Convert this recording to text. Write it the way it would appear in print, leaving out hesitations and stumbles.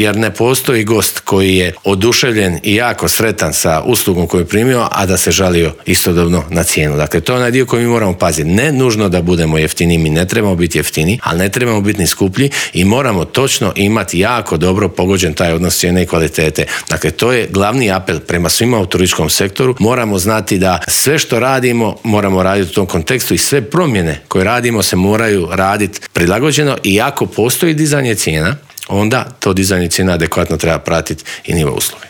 jer ne postoji gost koji je oduševljen i jako sretan sa uslugom koju je primio, a da se žalio istodobno na cijenu. Dakle, to je onaj dio koji mi moramo paziti. Ne nužno da budemo jeftini, mi ne trebamo biti jeftini, ali ne trebamo biti ni skuplji i moramo točno imati jako dobro pogođen taj odnos cijene i kvalitete. Dakle, to je glavni apel prema svima u turističkom sektoru. Moramo znati da sve što radimo moramo raditi u tom kontekstu i sve promjene koje radimo se moraju raditi prilagođeno i ako postoji dizanje cijena, onda to dizanje cijena adekvatno treba pratiti i nivo usluge.